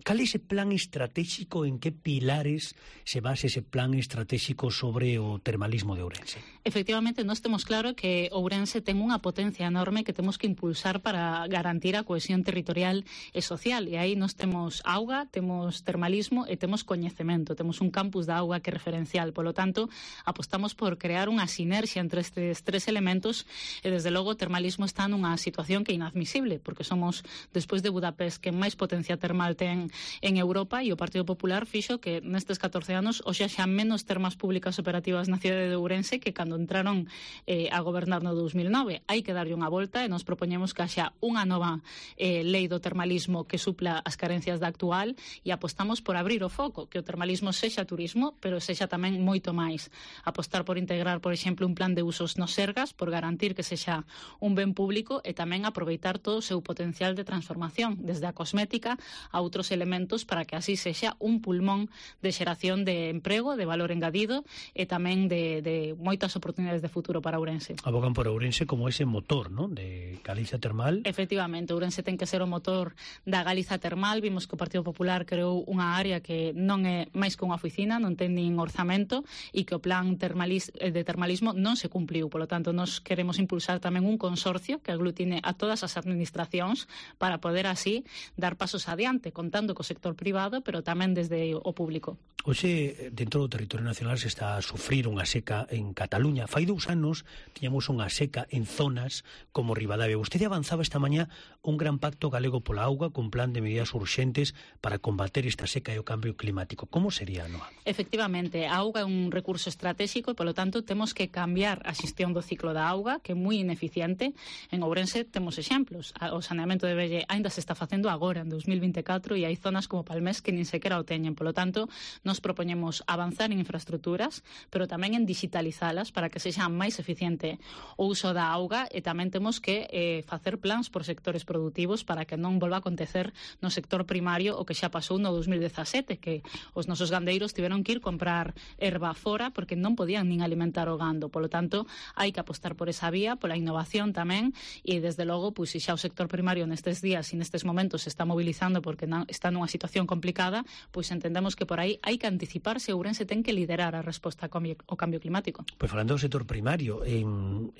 cal é ese plan estratégico, en que pilares se basa ese plan estratégico sobre o termalismo de Ourense? Efectivamente, nós temos claro que Ourense ten unha potencia enorme que temos que impulsar para garantir a cohesión territorial e social, e aí nós temos auga, temos termalismo e temos coñecemento, temos un campus da auga que é referencial, polo tanto, apostamos por crear unha sinerxia entre estes tres elementos e, desde logo, o termalismo está nunha situación que é inadmisible, porque somos, despois de Budapest, que máis potencia termal ten en Europa, e o Partido Popular fixo que nestes 14 anos hoxe xa menos termas públicas operativas na cidade de Ourense que cando entraron a gobernar no 2009. Hai que darlle unha volta e nos propoñemos que haxa unha nova lei do termalismo que supla as carencias da actual, e apostamos por abrir o foco, que o termalismo sexa turismo, pero sexa tamén moito máis. Apostar por integrar, por exemplo, un plan de usos nos sergas, por garantir que sexa un ben público e tamén aproveitar todo o seu potencial de transformación, desde a cosmética a outros elementos, para que así sexa un pulmón de xeración de emprego, de valor engadido e tamén de moitas oportunidades de futuro para Ourense. Abogan por Ourense como ese motor, ¿no?, de Galiza Termal. Efectivamente, Ourense ten que ser o motor da Galiza Termal. Vimos que o Partido Popular creou unha área que non é máis que unha oficina, non ten nin orzamento, e que o plan de termalismo non se cumpliu. Por lo tanto, nos queremos impulsar tamén un consorcio que aglutine a todas as administracións para poder así dar pasos adiante, contando co sector privado, pero tamén desde o público. Hoxe, dentro do territorio nacional, se está a sufrir unha seca en Cataluña. Fai 2 anos tiñamos unha seca en zonas como Ribadavia. Vostede avanzaba esta mañá un gran pacto galego pola auga con plan de medidas urxentes para combater esta seca e o cambio climático. Como sería, Noa? Efectivamente, a auga é un recurso estratégico e, polo tanto, temos que cambiar a xestión do ciclo da auga, que é moi ineficiente. En Ourense temos exemplos. O saneamento de Velle ainda se está facendo agora, en 2024, e hai zonas como Palmés que nin sequera o teñen. Polo tanto, nos propoñemos avanzar en infraestructuras, pero tamén en digitalizalas para que sexa máis eficiente o uso da auga, e tamén temos que facer plans por sectores produtivos para que non volva a acontecer no sector primario o que xa pasou no 2017, que os nosos gandeiros tiveron que ir comprar erva fora porque non podían nin alimentar o gando. Polo tanto, hai que apostar por esa vía, pola innovación tamén, e desde logo, pois, se xa o sector primario nestes días e nestes momentos se está mobilizando porque está nunha situación complicada, pois entendemos que por aí hai que anticiparse. Ourense ten que liderar a resposta ao cambio climático. Pois falando do sector primario,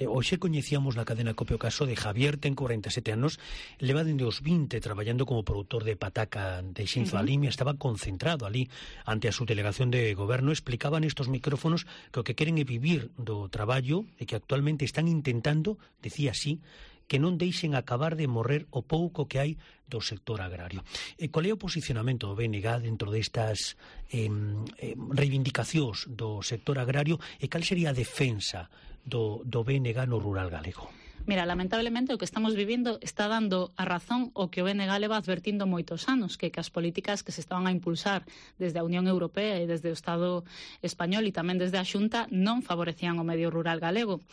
hoxe coñecíamos na cadena COPE o caso de Javier, ten 47 anos, leva dende os 20 traballando como produtor de pataca de Xinzo Alimia, estaba concentrado ali ante a subdelegación de goberno. Explicaban estos micrófonos que o que queren é vivir do traballo e que actualmente están intentando, decía así, que non deixen acabar de morrer o pouco que hai do sector agrario. Qual é o posicionamento do BNG dentro destas reivindicacións do sector agrario e cal sería a defensa do BNG no rural galego? Mira, lamentablemente o que estamos vivindo está dando a razón o que o BNG leva advertindo moitos anos, que as políticas que se estaban a impulsar desde a Unión Europea e desde o Estado español e tamén desde a Xunta non favorecían o medio rural galego.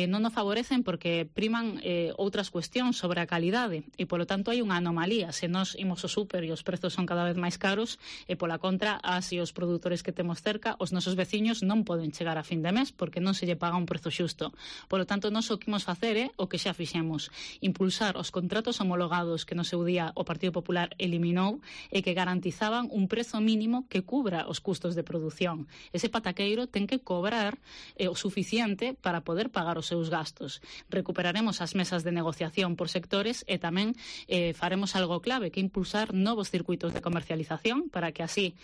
Non o favorecen porque priman outras cuestións sobre a calidade e, polo tanto, hai unha anomalía. Se nós imos ao súper e os prezos son cada vez máis caros e, pola contra, as e os produtores que temos cerca, os nosos veciños non poden chegar a fin de mes porque non se lle paga un prezo xusto. Polo tanto, nós o que imos facer é o que xa fixemos, impulsar os contratos homologados que no seu día o Partido Popular eliminou e que garantizaban un prezo mínimo que cubra os custos de produción. Ese pataqueiro ten que cobrar o suficiente para poder pagar os seus gastos. Recuperaremos as mesas de negociación por sectores e tamén faremos algo clave, que impulsar novos circuitos de comercialización para que así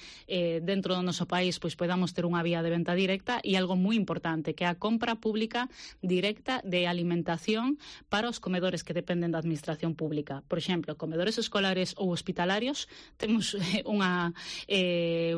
dentro do noso país pois podamos ter unha vía de venta directa e algo moi importante, que é a compra pública directa de alimentación para os comedores que dependen da administración pública. Por exemplo, comedores escolares ou hospitalarios, temos unha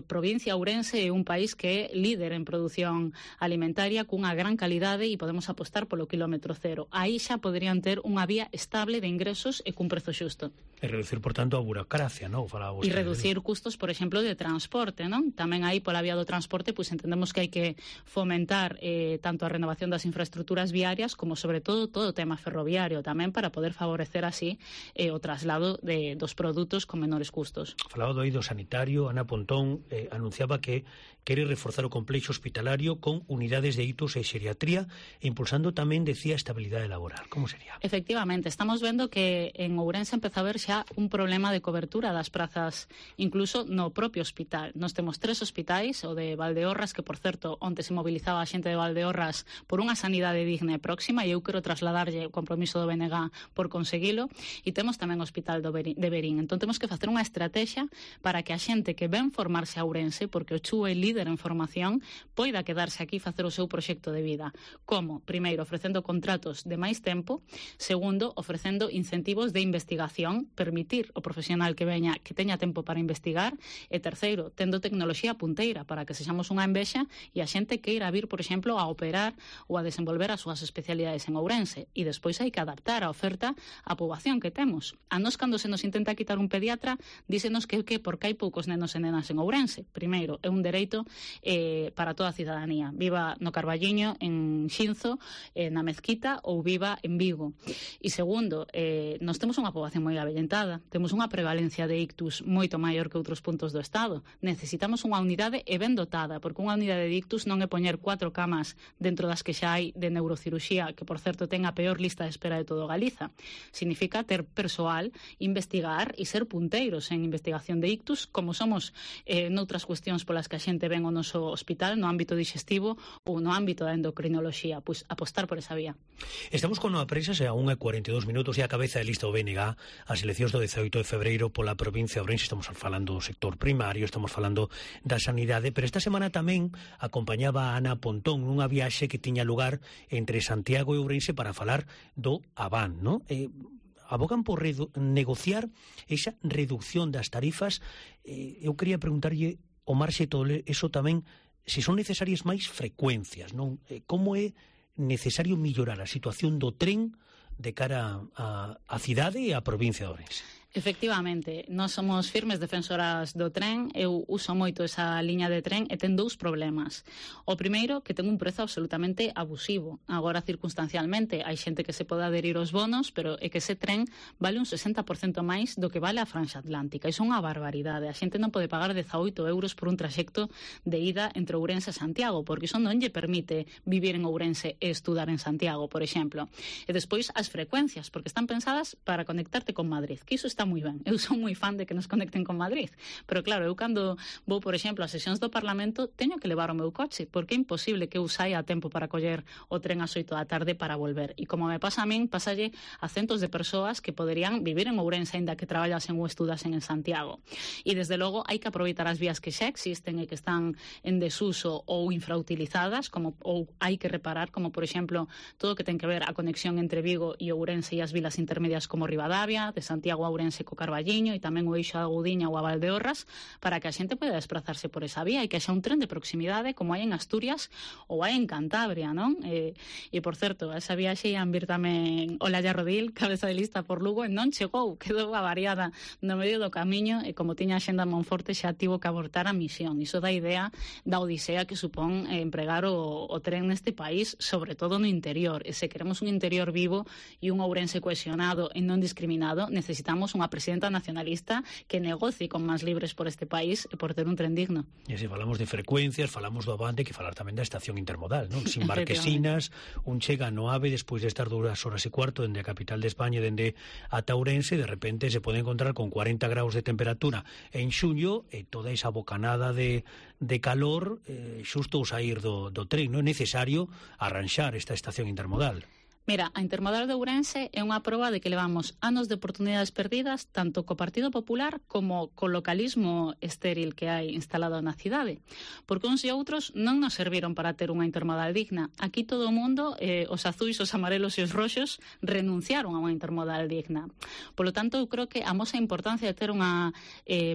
provincia, Ourense, é un país que é líder en produción alimentaria cunha gran calidade e podemos apostar polo quilómetro cero. Aí xa poderían ter unha vía estable de ingresos e cun prezo xusto. E reducir, por tanto, a burocracia, non? E reducir custos, por exemplo, de transporte, non? Tamén aí, pola vía do transporte, pois entendemos que hai que fomentar tanto a renovación das infraestructuras viarias como, sobre todo todo o tema ferroviario tamén para poder favorecer así o traslado dos produtos con menores custos. Falaba do eido sanitario, Ana Pontón anunciaba que quere reforzar o complexo hospitalario con unidades de hitos e xeriatría e impulsando tamén, decía, estabilidade laboral. Como sería? Efectivamente, estamos vendo que en Ourense empeza a haber xa un problema de cobertura das prazas, incluso no propio hospital. Nos temos 3 hospitais, o de Valdeorras, que, por certo, onte se mobilizaba a xente de Valdeorras por unha sanidade digna e próxima, e eu quero trasladarlle o compromiso do BNG por conseguilo, e temos tamén o Hospital de Verín. Entón, temos que facer unha estrategia para que a xente que ven formarse a Ourense, porque o CHU é líder en formación, poida quedarse aquí e facer o seu proxecto de vida. Como? Primeiro, ofrecendo contratos de máis tempo. Segundo, ofrecendo incentivos de investigación, permitir ao profesional que veña que teña tempo para investigar. E terceiro, tendo tecnoloxía punteira para que sexamos unha envexa e a xente queira vir, por exemplo, a operar ou a desenvolver as súas especialidades en Ourense. E despois hai que adaptar a oferta á poboación que temos. A nós, cando se nos intenta quitar un pediatra, dísenos que porque hai poucos nenos e nenas en Ourense. Primeiro, é un dereito para toda a cidadanía. Viva no Carballiño, en Xinzo, na Mezquita ou viva en Vigo. E segundo, nós temos unha poboación moi avellentada, temos unha prevalencia de ictus moito maior que outros puntos do Estado. Necesitamos unha unidade e ben dotada, porque unha unidade de ictus non é poñer 4 camas dentro das que xa hai de neurocirurxía, que por certo ten a peor lista de espera de todo Galiza. Significa ter persoal, investigar e ser punteiros en investigación de ictus, como somos noutras cuestións polas que a xente ven o noso hospital no ámbito digestivo ou no ámbito da endocrinoloxía, pois apostar por esa vía. Estamos con a prensa a 1:42 minutos e a cabeza de lista o BNG as eleccións do 18 de febreiro pola provincia de Ourense. Estamos falando do sector primario, estamos falando da sanidade, pero esta semana tamén acompañaba a Ana Pontón nunha viaxe que tiña lugar entre Santiago e Ourense para falar do Aván, non? Abogan por negociar esa reducción das tarifas. Eu quería preguntarlle o Marxe Tole, eso tamén, se son necesarias máis frecuencias, non? Como é necesario mellorar a situación do tren de cara á cidade e á provincia de Ourense? Efectivamente, nós somos firmes defensoras do tren. Eu uso moito esa liña de tren e ten 2 problemas. O primeiro, que ten un prezo absolutamente abusivo. Agora, circunstancialmente, hai xente que se pode adherir aos bonos, pero é que ese tren vale un 60% máis do que vale a franxa atlántica. Iso é unha barbaridade. A xente non pode pagar 18 euros por un traxecto de ida entre Ourense e Santiago, porque iso non lle permite vivir en Ourense e estudar en Santiago, por exemplo. E despois as frecuencias, porque están pensadas para conectarte con Madrid, que iso está moi ben. Eu son moi fan de que nos conecten con Madrid, pero claro, eu cando vou, por exemplo, a sesións do Parlamento teño que levar o meu coche, porque é imposible que eu saia a tempo para coller o tren ás 8 da tarde para volver. E como me pasa a min, pasalle a centos de persoas que poderían vivir en Ourense aínda que traballasen ou estudasen en Santiago. E desde logo hai que aproveitar as vías que xa existen e que están en desuso ou infrautilizadas, ou hai que reparar, como por exemplo todo o que ten que ver a conexión entre Vigo e Ourense e as vilas intermedias como Ribadavia, de Santiago a Ourense co Carballiño e tamén o eixo a Gudiña ou a Valdeorras, para que a xente poida desplazarse por esa vía e que haxa un tren de proximidade como hai en Asturias ou hai en Cantabria, non? E por certo, esa viaxe ian vir tamén Olalla Rodil, cabeza de lista por Lugo, e non chegou, quedou avariada no medio do camiño e como tiña a xenda Monforte xa tivo que abortar a misión. Iso dá idea da odisea que supón empregar o tren neste país, sobre todo no interior. E se queremos un interior vivo e un Ourense cohesionado e non discriminado, necesitamos unha presidenta nacionalista que negocie con máis libres por este país e por ter un tren digno. E se falamos de frecuencias, falamos do Avante, que falar tamén da estación intermodal, non? Sin Marquesinas, un chega no AVE despois de estar 2 horas e cuarto dende a capital de España, dende ata Ourense, de repente se pode encontrar con 40 graus de temperatura en xuño e toda esa bocanada de calor xusto ao sair do tren. Non é necesario arranxar esta estación intermodal. Mira, a Intermodal de Ourense é unha proba de que levamos anos de oportunidades perdidas tanto co Partido Popular como co localismo estéril que hai instalado na cidade. Porque uns e outros non nos serviron para ter unha intermodal digna. Aquí todo o mundo, os azuis, os amarelos e os roxos, renunciaron a unha intermodal digna. Por lo tanto, eu creo que amos a importancia de ter unha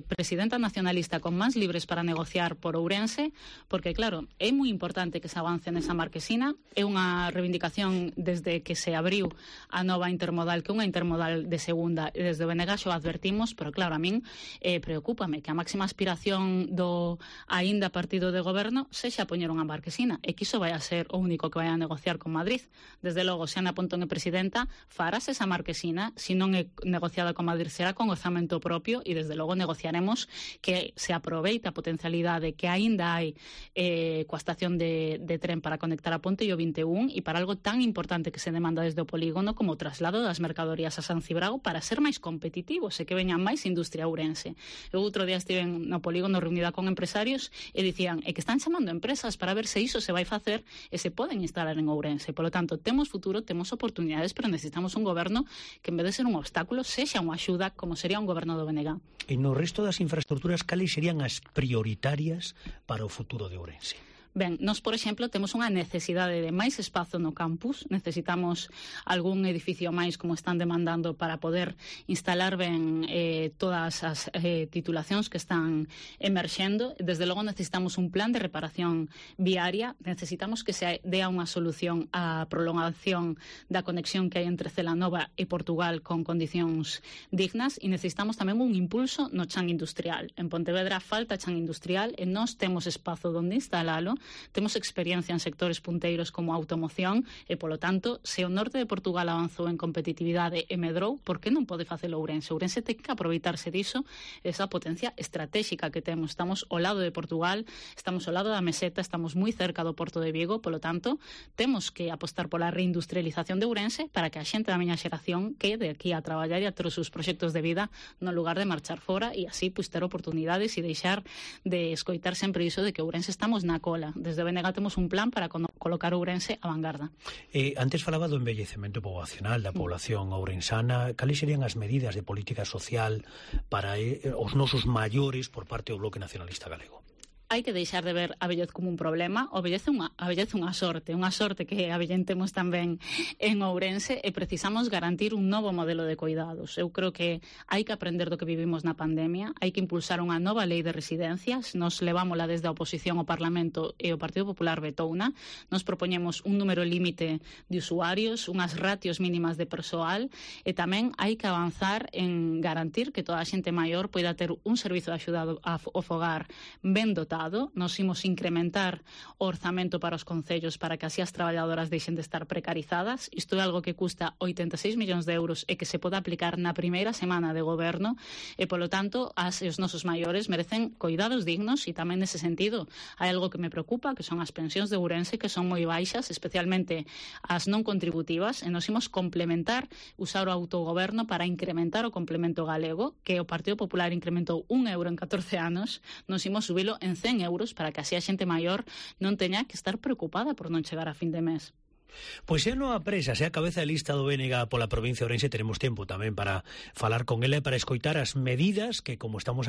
presidenta nacionalista con máis libres para negociar por Ourense, porque, claro, é moi importante que se avance nesa Marquesina. É unha reivindicación desde que se abriu a nova intermodal, que é unha intermodal de segunda, e desde o BNG xo advertimos, pero claro, a min preocúpame que a máxima aspiración do aínda partido de goberno sexa poñer unha marquesina, e que iso vai a ser o único que vai a negociar con Madrid. Desde logo, se Ana Pontón é presidenta, farás esa marquesina, se non é negociada con Madrid será con orzamento propio, e desde logo negociaremos que se aproveite a potencialidade que aínda hai coa estación de tren para conectar a Ponte e o 21 e para algo tan importante que se demanda desde o polígono como o traslado das mercadorías a San Cibrao para ser máis competitivos e que veñan máis industria ourense. Eu outro día estive no polígono reunida con empresarios e dicían que están chamando empresas para ver se iso se vai facer e se poden instalar en Ourense. Polo tanto, temos futuro, temos oportunidades, pero necesitamos un goberno que en vez de ser un obstáculo sexa unha axuda como sería un goberno do BNG. E no resto das infraestructuras, cales serían as prioritarias para o futuro de Ourense? Ben, nós, por exemplo, temos unha necesidade de máis espazo no campus, necesitamos algún edificio máis como están demandando para poder instalar ben todas as titulacións que están emerxendo. Desde logo necesitamos un plan de reparación viaria, necesitamos que se dea unha solución á prolongación da conexión que hai entre Celanova e Portugal con condicións dignas e necesitamos tamén un impulso no chan industrial. En Pontevedra falta chan industrial e nós temos espazo onde instalalo. Temos experiencia en sectores punteiros como a automoción e, polo tanto, se o norte de Portugal avanzou en competitividade e medrou, por que non pode facelo Ourense? Ourense ten que aproveitarse diso, esa potencia estratégica que temos. Estamos ao lado de Portugal, estamos ao lado da Meseta, estamos moi cerca do Porto de Vigo, polo tanto, temos que apostar pola reindustrialización de Ourense para que a xente da miña xeración quede aquí a traballar e a ter os seus proxectos de vida no lugar de marchar fora e así ter oportunidades e deixar de escoitar sempre iso de que Ourense estamos na cola. Desde BNG temos un plan para colocar Ourense a vanguarda. Antes falaba do envellecemento poboacional da población ourensana. Cales serían as medidas de política social para os nosos maiores por parte do Bloque Nacionalista Galego? Hai que deixar de ver a vellez como un problema, a vellez unha sorte que avellentemos tamén en Ourense e precisamos garantir un novo modelo de cuidados. Eu creo que hai que aprender do que vivimos na pandemia, hai que impulsar unha nova lei de residencias, nos levámola desde a oposición ao Parlamento e o Partido Popular vetouna, nos propoñemos un número límite de usuarios, unhas ratios mínimas de persoal e tamén hai que avanzar en garantir que toda a xente maior poida ter un servizo de axuda ao fogar ben dotado. Nos imos incrementar o orzamento para os concellos para que así as traballadoras deixen de estar precarizadas. Isto é algo que custa 86 millóns de euros e que se pode aplicar na primeira semana de goberno e, polo tanto, os nosos maiores merecen cuidados dignos e tamén nese sentido hai algo que me preocupa, que son as pensións de Ourense, que son moi baixas, especialmente as non contributivas, e nos imos complementar, usar o autogoberno para incrementar o complemento galego, que o Partido Popular incrementou 1 euro en 14 anos, nos imos subilo en 100 euros para que así a xente maior non teña que estar preocupada por non chegar a fin de mes. Pois xa non apresa, xa a cabeza de lista do BNG pola provincia de Ourense, teremos tempo tamén para falar con ela e para escoitar as medidas que, como estamos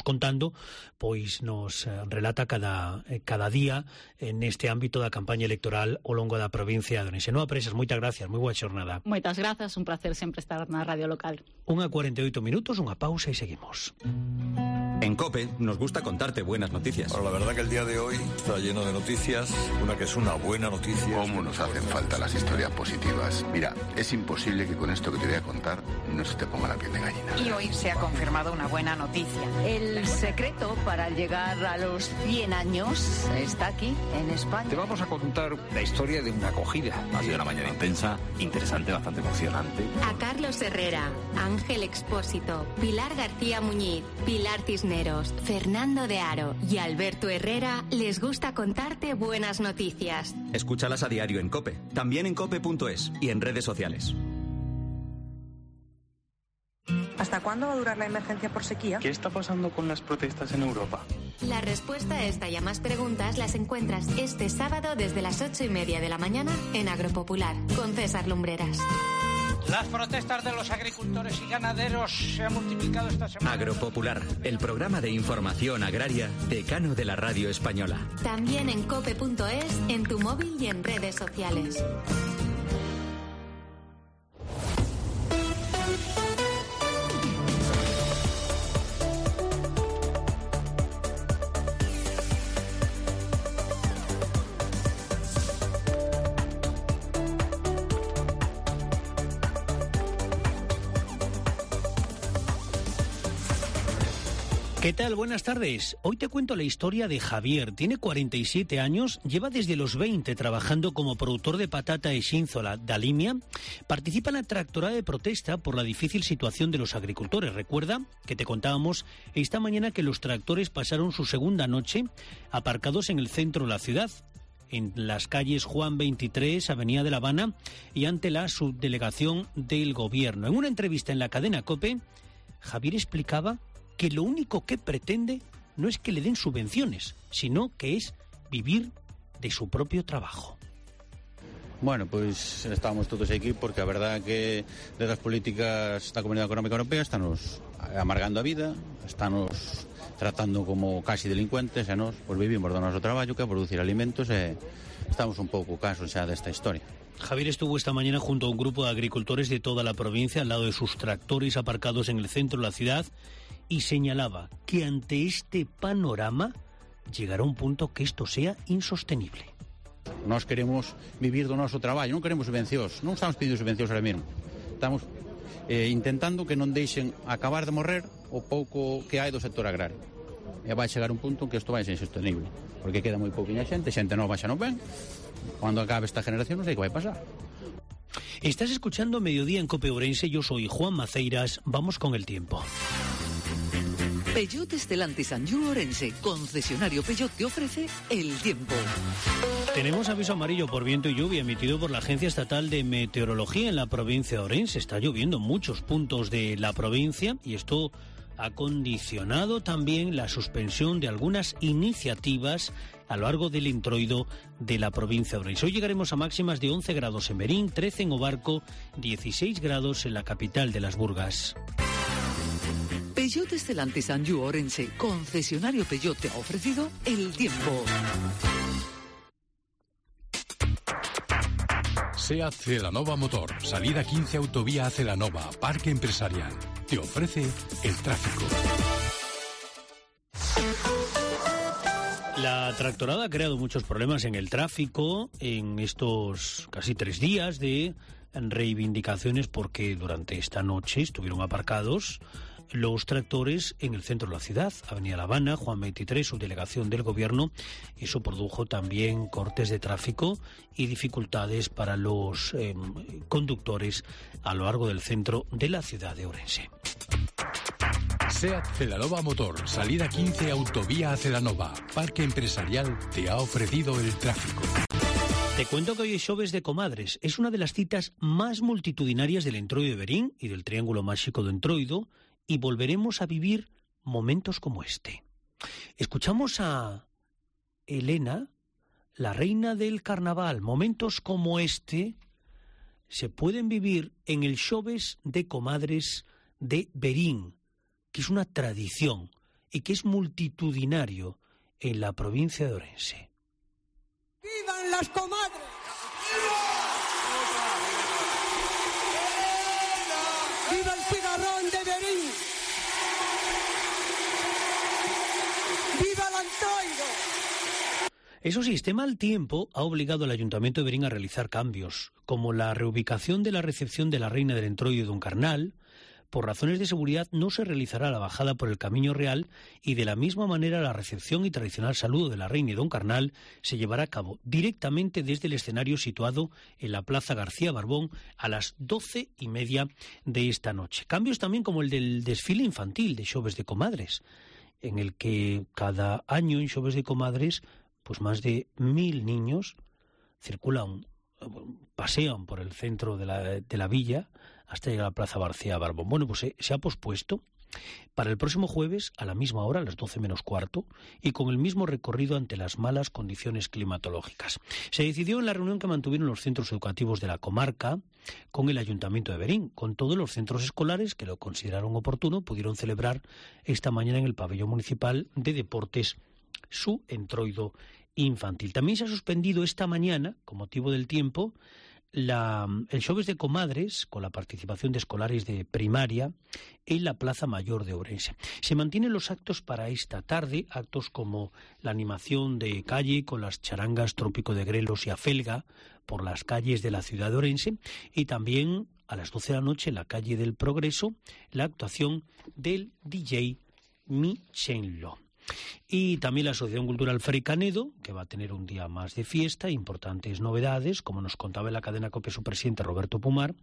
contando, pois nos relata cada día neste ámbito da campaña electoral ao longo da provincia de Ourense. Non apresas, moitas gracias, moi boa xornada. Moitas grazas, un placer sempre estar na radio local. 1:48 minutos, unha pausa e seguimos. En COPE nos gusta contarte buenas noticias. Bueno, la verdad que el día de hoy está lleno de noticias. Una que es una buena noticia. ¿Cómo nos hacen falta las historias positivas? Mira, es imposible que con esto que te voy a contar no se te ponga la piel de gallina. Y hoy se ha confirmado una buena noticia. El secreto para llegar a los 100 años está aquí, en España. Te vamos a contar la historia de una acogida. Ha sido una mañana intensa, interesante, bastante emocionante. A Carlos Herrera, Ángel Expósito, Pilar García Muñiz, Pilar Cisneros, Fernando de Aro y Alberto Herrera les gusta contarte buenas noticias. Escúchalas a diario en COPE, también en cope.es y en redes sociales. ¿Hasta cuándo va a durar la emergencia por sequía? ¿Qué está pasando con las protestas en Europa? La respuesta a esta y a más preguntas las encuentras este sábado desde las 8:30 de la mañana en Agropopular, con César Lumbreras. Las protestas de los agricultores y ganaderos se han multiplicado esta semana. Agropopular, el programa de información agraria decano de la radio española. También en cope.es, en tu móvil y en redes sociales. ¿Qué tal? Buenas tardes. Hoy te cuento la historia de Javier. Tiene 47 años, lleva desde los 20 trabajando como productor de patata e xínzola da Limia. Participa en la tractorada de protesta por la difícil situación de los agricultores. Recuerda que te contábamos esta mañana que los tractores pasaron su segunda noche aparcados en el centro de la ciudad, en las calles Juan 23, Avenida de La Habana, y ante la subdelegación del gobierno. En una entrevista en la cadena COPE, Javier explicaba que lo único que pretende no es que le den subvenciones, sino que es vivir de su propio trabajo. Bueno, pois estamos todos aquí porque a verdad que desde as políticas da Comunidade Económica Europea estamos amargando a vida, estamos tratando como casi delincuentes e nós pois vivimos do noso traballo, que é producir alimentos, e estamos un pouco cansos xa desta historia. Javier estuvo esta mañana junto a un grupo de agricultores de toda la provincia al lado de sus tractores aparcados en el centro de la ciudad y señalaba que ante este panorama llegará un punto que esto sea insostenible. Nós queremos vivir do noso traballo, non queremos subvencións, non estamos pedindo subvencións ahora mesmo. Estamos intentando que non deixen acabar de morrer o pouco que hai do sector agrario. E vai chegar un punto en que isto vai ser insostenible, porque queda moi pouquinha xente nova xa non ven. Cuando acabe esta generación non sei que vai pasar. Estás escuchando Mediodía en COPE Ourense, yo soy Juan Maceiras, vamos con el tiempo. Peugeot Stellantis Anjou Ourense, concesionario Peugeot, te ofrece el tiempo. Tenemos aviso amarillo por viento y lluvia emitido por la Agencia Estatal de Meteorología en la provincia de Ourense. Está lloviendo en muchos puntos de la provincia y esto ha condicionado también la suspensión de algunas iniciativas a lo largo del introito de la provincia de Ourense. Hoy llegaremos a máximas de 11 grados en Berín, 13 en Obarco, 16 grados en la capital de Las Burgas. Peugeot Stellantis Anjou Ourense, concesionario Peugeot, te ha ofrecido el tiempo. SEAT Celanova Motor, salida 15 Autovía a Celanova, Parque Empresarial. Te ofrece el tráfico. La tractorada ha creado muchos problemas en el tráfico en estos casi 3 días de reivindicaciones porque durante esta noche estuvieron aparcados los tractores en el centro de la ciudad, Avenida La Habana, Juan 23, subdelegación del gobierno. Eso produjo también cortes de tráfico y dificultades para los conductores a lo largo del centro de la ciudad de Ourense. SEAT Celanova Motor, salida 15 Autovía a Celanova, Parque Empresarial, te ha ofrecido el tráfico. Te cuento que hoy es Xoves de Comadres. Es una de las citas más multitudinarias del Entroido de Berín y del Triángulo Máxico de Entroido, y volveremos a vivir momentos como este. Escuchamos a Elena, la reina del carnaval. Momentos como este se pueden vivir en el Xoves de Comadres de Berín, que es una tradición y que es multitudinario en la provincia de Ourense. ¡Vivan las comadres! ¡Viva el cigarrón de Berín! ¡Viva el Entroido! Eso sí, este mal tiempo ha obligado al Ayuntamiento de Berín a realizar cambios, como la reubicación de la recepción de la Reina del Entroido de Uncarnal. Por razones de seguridad no se realizará la bajada por el Camino Real y de la misma manera la recepción y tradicional saludo de la Reina y Don Carnal se llevará a cabo directamente desde el escenario situado en la Plaza García Barbón a las 12:30 de esta noche. Cambios también como el del desfile infantil de Xoves de Comadres, en el que cada año en Xoves de Comadres pues más de 1000 niños circulan, pasean por el centro de la villa hasta llegar a la Plaza García Barbón. Bueno, pues se ha pospuesto para el próximo jueves a la misma hora, a las 12 menos cuarto, y con el mismo recorrido ante las malas condiciones climatológicas. Se decidió en la reunión que mantuvieron los centros educativos de la comarca con el Ayuntamiento de Berín. Con todos los centros escolares que lo consideraron oportuno, pudieron celebrar esta mañana en el pabellón municipal de deportes su entroido infantil. También se ha suspendido esta mañana, con motivo del tiempo, el Xoves de Comadres, con la participación de escolares de primaria, en la Plaza Mayor de Ourense. Se mantienen los actos para esta tarde, actos como la animación de calle con las charangas Trópico de Grelos y Afelga por las calles de la ciudad de Ourense, y también a las 12 de la noche en la calle del Progreso, la actuación del DJ Michenlo. Y también la Asociación Cultural Fray Canedo, que va a tener un día más de fiesta, importantes novedades, como nos contaba en la cadena COPE su presidente Roberto Pumar,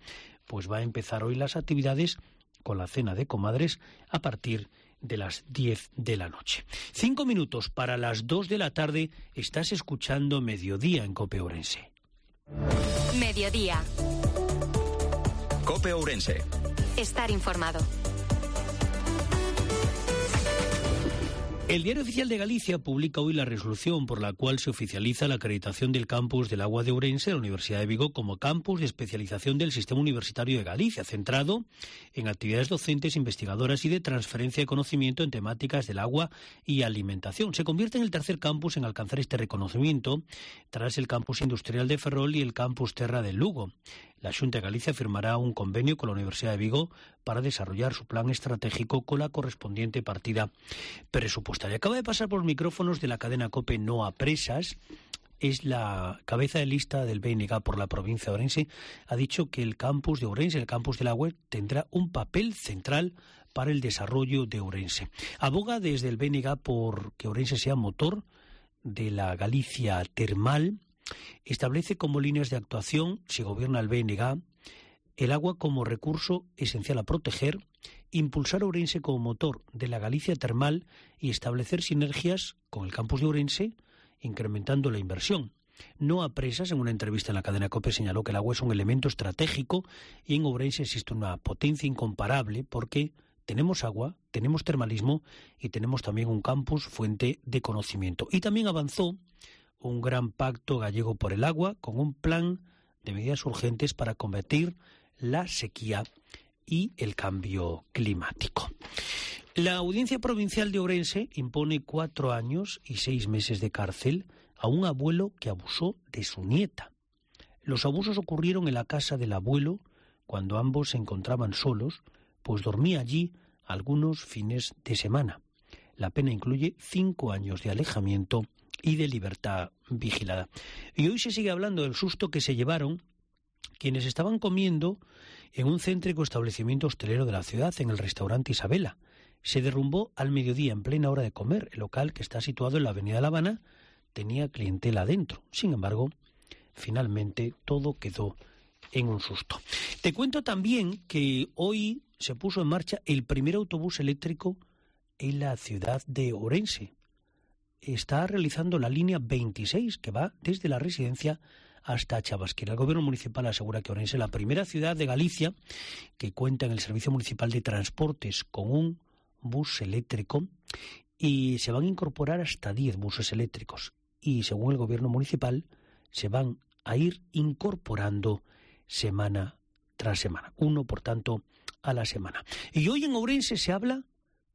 pues va a empezar hoy las actividades con la cena de comadres a partir de las 10 de la noche. 5 minutos para las 2 de la tarde, estás escuchando Mediodía en COPE Ourense. Mediodía. COPE Ourense. Estar informado. El Diario Oficial de Galicia publica hoy la resolución por la cual se oficializa la acreditación del campus del Agua de Ourense de la Universidad de Vigo como campus de especialización del Sistema Universitario de Galicia, centrado en actividades docentes, investigadoras y de transferencia de conocimiento en temáticas del agua y alimentación. Se convierte en el tercer campus en alcanzar este reconocimiento, tras el campus industrial de Ferrol y el campus Terra de Lugo. La Xunta de Galicia firmará un convenio con la Universidad de Vigo para desarrollar su plan estratégico con la correspondiente partida presupuestaria. Acaba de pasar por los micrófonos de la cadena COPE Noa Presas, es la cabeza de lista del BNG por la provincia de Ourense. Ha dicho que el campus de Ourense, el campus del agua, tendrá un papel central para el desarrollo de Ourense. Aboga desde el BNG por que Ourense sea motor de la Galicia termal. Establece como líneas de actuación, si gobierna el BNG, el agua como recurso esencial a proteger, impulsar a Ourense como motor de la Galicia termal y establecer sinergias con el campus de Ourense, incrementando la inversión. Noa Presas, en una entrevista en la cadena COPE, señaló que el agua es un elemento estratégico y en Ourense existe una potencia incomparable porque tenemos agua, tenemos termalismo y tenemos también un campus fuente de conocimiento. Y también avanzó un gran pacto gallego por el agua con un plan de medidas urgentes para combatir la sequía y el cambio climático. La Audiencia Provincial de Ourense impone 4 años y 6 meses de cárcel a un abuelo que abusó de su nieta. Los abusos ocurrieron en la casa del abuelo cuando ambos se encontraban solos, pues dormía allí algunos fines de semana. La pena incluye 5 años de alejamiento y de libertad vigilada. Y hoy se sigue hablando del susto que se llevaron quienes estaban comiendo en un céntrico establecimiento hostelero de la ciudad, en el restaurante Isabela. Se derrumbó al mediodía, en plena hora de comer. El local, que está situado en la avenida La Habana, tenía clientela adentro. Sin embargo, finalmente todo quedó en un susto. Te cuento también que hoy se puso en marcha el primer autobús eléctrico en la ciudad de Ourense. Está realizando la línea 26, que va desde la residencia hasta Chabasquera. El gobierno municipal asegura que Ourense es la primera ciudad de Galicia que cuenta en el Servicio Municipal de Transportes con un bus eléctrico y se van a incorporar hasta 10 buses eléctricos. Y según el gobierno municipal, se van a ir incorporando semana tras semana. Uno, por tanto, a la semana. Y hoy en Ourense se habla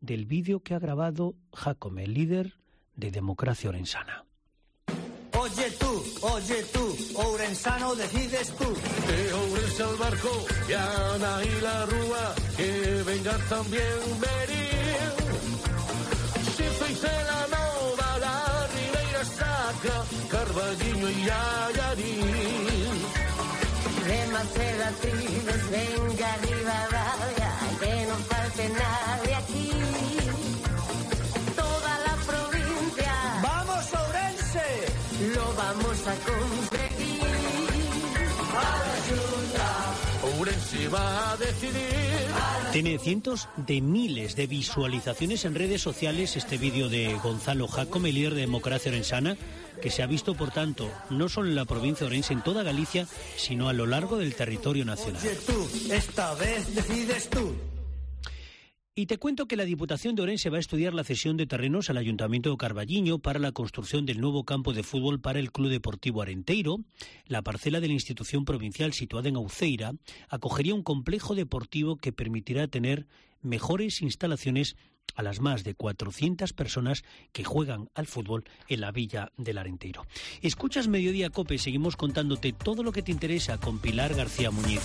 del vídeo que ha grabado Jacome, el líder de Democracia Orensana. Oye tú, ourensano decides tú. De Ourense al barco, Llana y la Rúa, que vengan también venir. Si sois de la Nova, la Ribeira Sacra, Carballiño y Allarín. De Maceda, Tribes, venga arriba, vaya, que no falte nadie aquí. Lo vamos a conseguir. Ourense va a decidir. Tiene cientos de miles de visualizaciones en redes sociales este vídeo de Gonzalo Jacome, líder de Democracia Orensana, que se ha visto, por tanto, no solo en la provincia de Ourense, en toda Galicia, sino a lo largo del territorio nacional. Oye tú, esta vez decides tú. Y te cuento que la Diputación de Ourense va a estudiar la cesión de terrenos al Ayuntamiento de Carballiño para la construcción del nuevo campo de fútbol para el Club Deportivo Arenteiro. La parcela de la institución provincial situada en Auceira acogería un complejo deportivo que permitirá tener mejores instalaciones a las más de 400 personas que juegan al fútbol en la villa del Arenteiro. Escuchas Mediodía COPE, seguimos contándote todo lo que te interesa con Pilar García Muñiz.